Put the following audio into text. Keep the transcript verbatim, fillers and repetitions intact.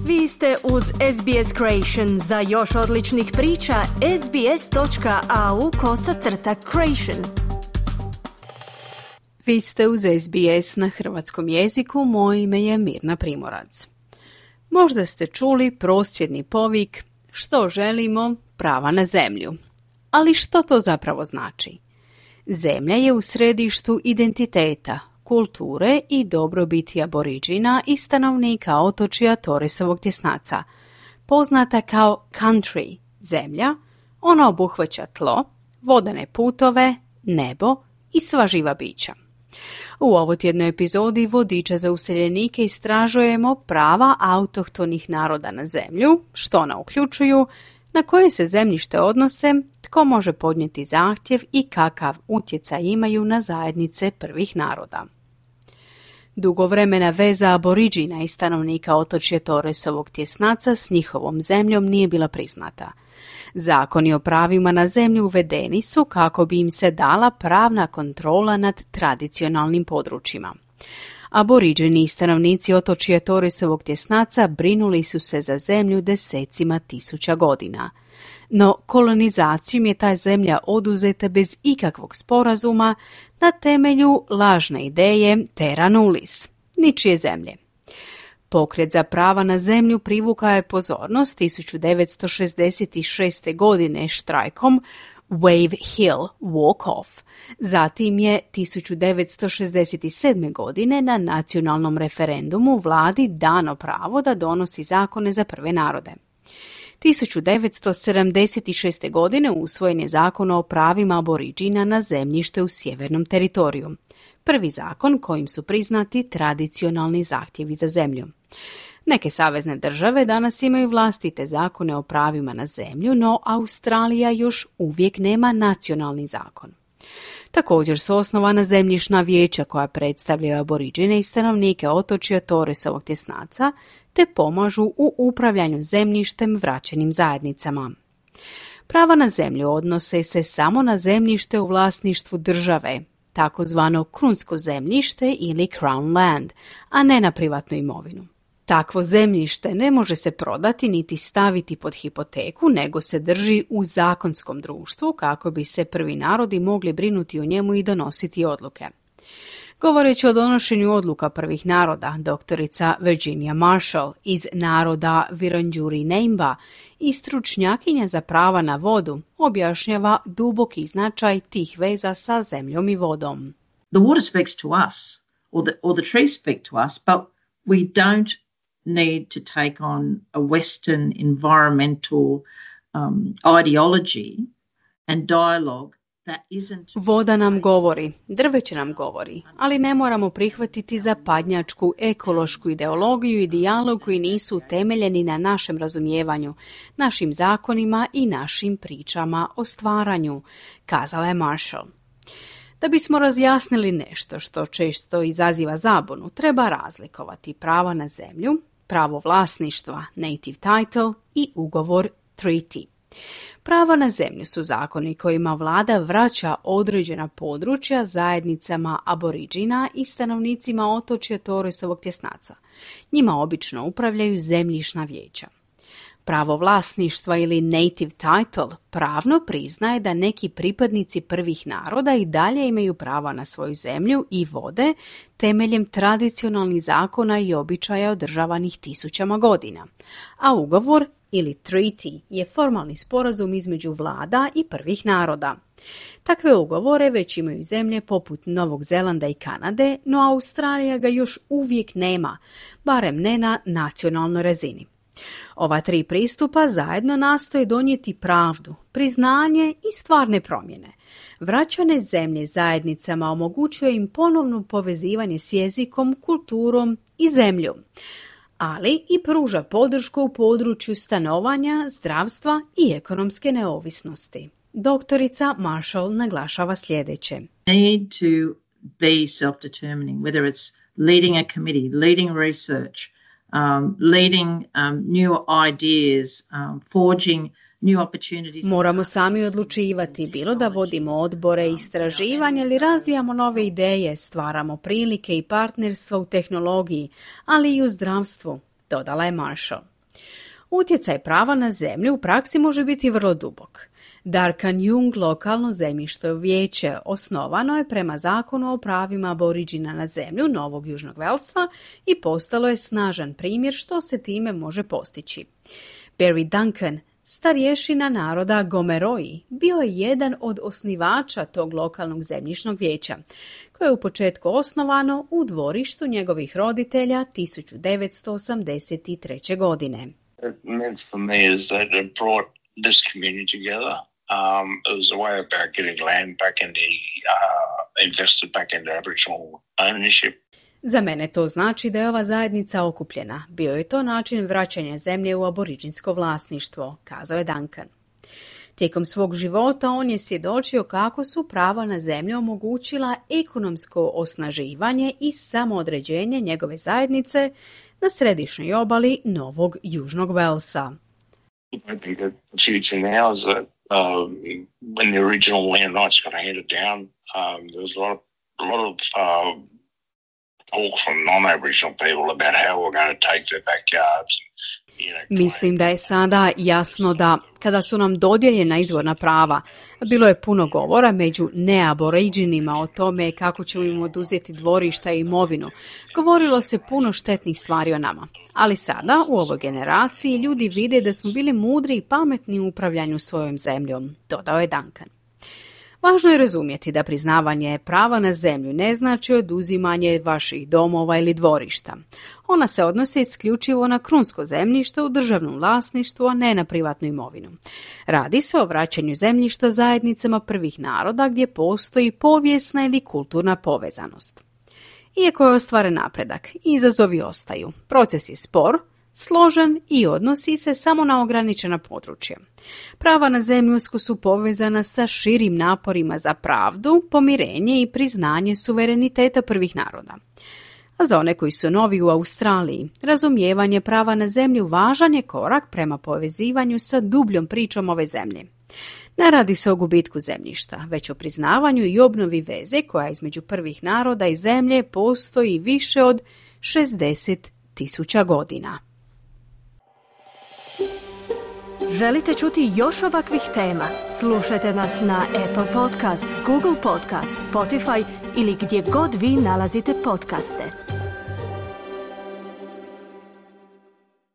Vi ste uz S B S Creation. Za još odličnih priča, sbs.au kosacrta creation. Vi ste uz S B S na hrvatskom jeziku, moje ime je Mirna Primorac. Možda ste čuli prosvjedni povik što želimo, prava na zemlju. Ali što to zapravo znači? Zemlja je u središtu identiteta, kulture i dobrobiti aboriđina i stanovnika otočja Torresovog tjesnaca. Poznata kao country, zemlja, ona obuhvaća tlo, vodene putove, nebo i sva živa bića. U ovotjednoj epizodi Vodiča za useljenike istražujemo prava autohtonih naroda na zemlju, što ona uključuju, na koje se zemljište odnose, tko može podnijeti zahtjev i kakav utjecaj imaju na zajednice prvih naroda. Dugovremena veza aboriđina i stanovnika otočja Torresovog tjesnaca s njihovom zemljom nije bila priznata. Zakoni o pravima na zemlju uvedeni su kako bi im se dala pravna kontrola nad tradicionalnim područjima. Aboriđeni i stanovnici otočja Torresovog tjesnaca brinuli su se za zemlju desecima tisuća godina. No kolonizacijom je ta zemlja oduzeta bez ikakvog sporazuma na temelju lažne ideje terra nullius, ničije zemlje. Pokret za prava na zemlju privukao je pozornost tisuću devetsto šezdeset šeste. godine štrajkom Wave Hill Walk-off. Zatim je tisuću devetsto šezdeset sedme. godine na nacionalnom referendumu vladi dano pravo da donosi zakone za prve narode. tisuću devetsto sedamdeset šeste. godine usvojen je zakon o pravima aboriđina na zemljište u sjevernom teritoriju. Prvi zakon kojim su priznati tradicionalni zahtjevi za zemlju. Neke savezne države danas imaju vlastite zakone o pravima na zemlju, no Australija još uvijek nema nacionalni zakon. Također su osnovana zemljišna vijeća koja predstavljaju aboriđine i stanovnike otočja Torresovog tjesnaca, te pomažu u upravljanju zemljištem vraćenim zajednicama. Prava na zemlju odnose se samo na zemljište u vlasništvu države, takozvano krunsko zemljište ili crown land, a ne na privatnu imovinu. Takvo zemljište ne može se prodati niti staviti pod hipoteku, nego se drži u zakonskom društvu kako bi se prvi narodi mogli brinuti o njemu i donositi odluke. Govoreći o donošenju odluka prvih naroda, doktorica Virginia Marshall iz naroda Wurundjeri Naimba i stručnjakinja za prava na vodu objašnjava duboki značaj tih veza sa zemljom i vodom. The water speaks to us, or the, or the trees speak to us, but we don't need to take on a Western environmental um, ideology and dialogue. Voda nam govori, drveće nam govori, ali ne moramo prihvatiti zapadnjačku ekološku ideologiju i dijalog koji nisu utemeljeni na našem razumijevanju, našim zakonima i našim pričama o stvaranju, kazala je Marshall. Da bismo razjasnili nešto što često izaziva zabunu, treba razlikovati prava na zemlju, pravo vlasništva, native title i ugovor treaty. Prava na zemlju su zakoni kojima vlada vraća određena područja zajednicama aboriđina i stanovnicima otočja Torresovog tjesnaca. Njima obično upravljaju zemljišna vijeća. Pravo vlasništva ili native title pravno priznaje da neki pripadnici prvih naroda i dalje imaju prava na svoju zemlju i vode temeljem tradicionalnih zakona i običaja održavanih tisućama godina. A ugovor ili treaty je formalni sporazum između vlada i prvih naroda. Takve ugovore već imaju zemlje poput Novog Zelanda i Kanade, no Australija ga još uvijek nema, barem ne na nacionalnoj razini. Ova tri pristupa zajedno nastoje donijeti pravdu, priznanje i stvarne promjene. Vraćane zemlje zajednicama omogućuje im ponovno povezivanje s jezikom, kulturom i zemljom, ali i pruža podršku u području stanovanja, zdravstva i ekonomske neovisnosti. Doktorica Marshall naglašava sljedeće. Need to be self-determining, whether it's leading a committee, leading research, um, leading um, new ideas, um, forging new opportunities. Moramo sami odlučivati, bilo da vodimo odbore, istraživanja ili razvijamo nove ideje, stvaramo prilike i partnerstva u tehnologiji, ali i u zdravstvu, dodala je Marshall. Utjecaj prava na zemlju u praksi može biti vrlo dubok. Darkanyung lokalno zemljište vijeće osnovano je prema zakonu o pravima aboriđina na zemlju Novog Južnog Velsa i postalo je snažan primjer što se time može postići. Barry Duncan, starješina naroda Gomeroi, bio je jedan od osnivača tog lokalnog zemljišnog vijeća, koje je u početku osnovano u dvorištu njegovih roditelja tisuću devetsto osamdeset treće. godine. It meant for me is that it brought this community together. Um, it was a way about getting land back into, uh, invested back into Aboriginal ownership. Za mene to znači da je ova zajednica okupljena. Bio je to način vraćanja zemlje u aboriđinsko vlasništvo, kazao je Duncan. Tijekom svog života on je svjedočio kako su prava na zemlju omogućila ekonomsko osnaživanje i samoodređenje njegove zajednice na središnjoj obali Novog Južnog Velsa. I think that the future now is that um, when the original land rights got handed down, um, there was a lot of, a lot of uh, talk from non-Aboriginal people about how we're going to take their backyards. Mislim da je sada jasno da kada su nam dodijeljena izvorna prava, bilo je puno govora među neaboriđinima o tome kako ćemo im oduzeti dvorišta i imovinu. Govorilo se puno štetnih stvari o nama. Ali sada, u ovoj generaciji, ljudi vide da smo bili mudri i pametni u upravljanju svojom zemljom, dodao je Duncan. Važno je razumjeti da priznavanje prava na zemlju ne znači oduzimanje vaših domova ili dvorišta. Ona se odnosi isključivo na krunsko zemljište u državnom vlasništvu, a ne na privatnu imovinu. Radi se o vraćanju zemljišta zajednicama prvih naroda gdje postoji povijesna ili kulturna povezanost. Iako je ostvaren napredak, izazovi ostaju. Proces je spor, složen i odnosi se samo na ograničena područja. Prava na zemlju usko su povezana sa širim naporima za pravdu, pomirenje i priznanje suvereniteta prvih naroda. A za one koji su novi u Australiji, razumijevanje prava na zemlju važan je korak prema povezivanju sa dubljom pričom ove zemlje. Ne radi se o gubitku zemljišta, već o priznavanju i obnovi veze koja između prvih naroda i zemlje postoji više od šezdeset tisuća godina. Želite čuti još ovakvih tema? Slušajte nas na Apple Podcast, Google Podcast, Spotify ili gdje god vi nalazite podcaste.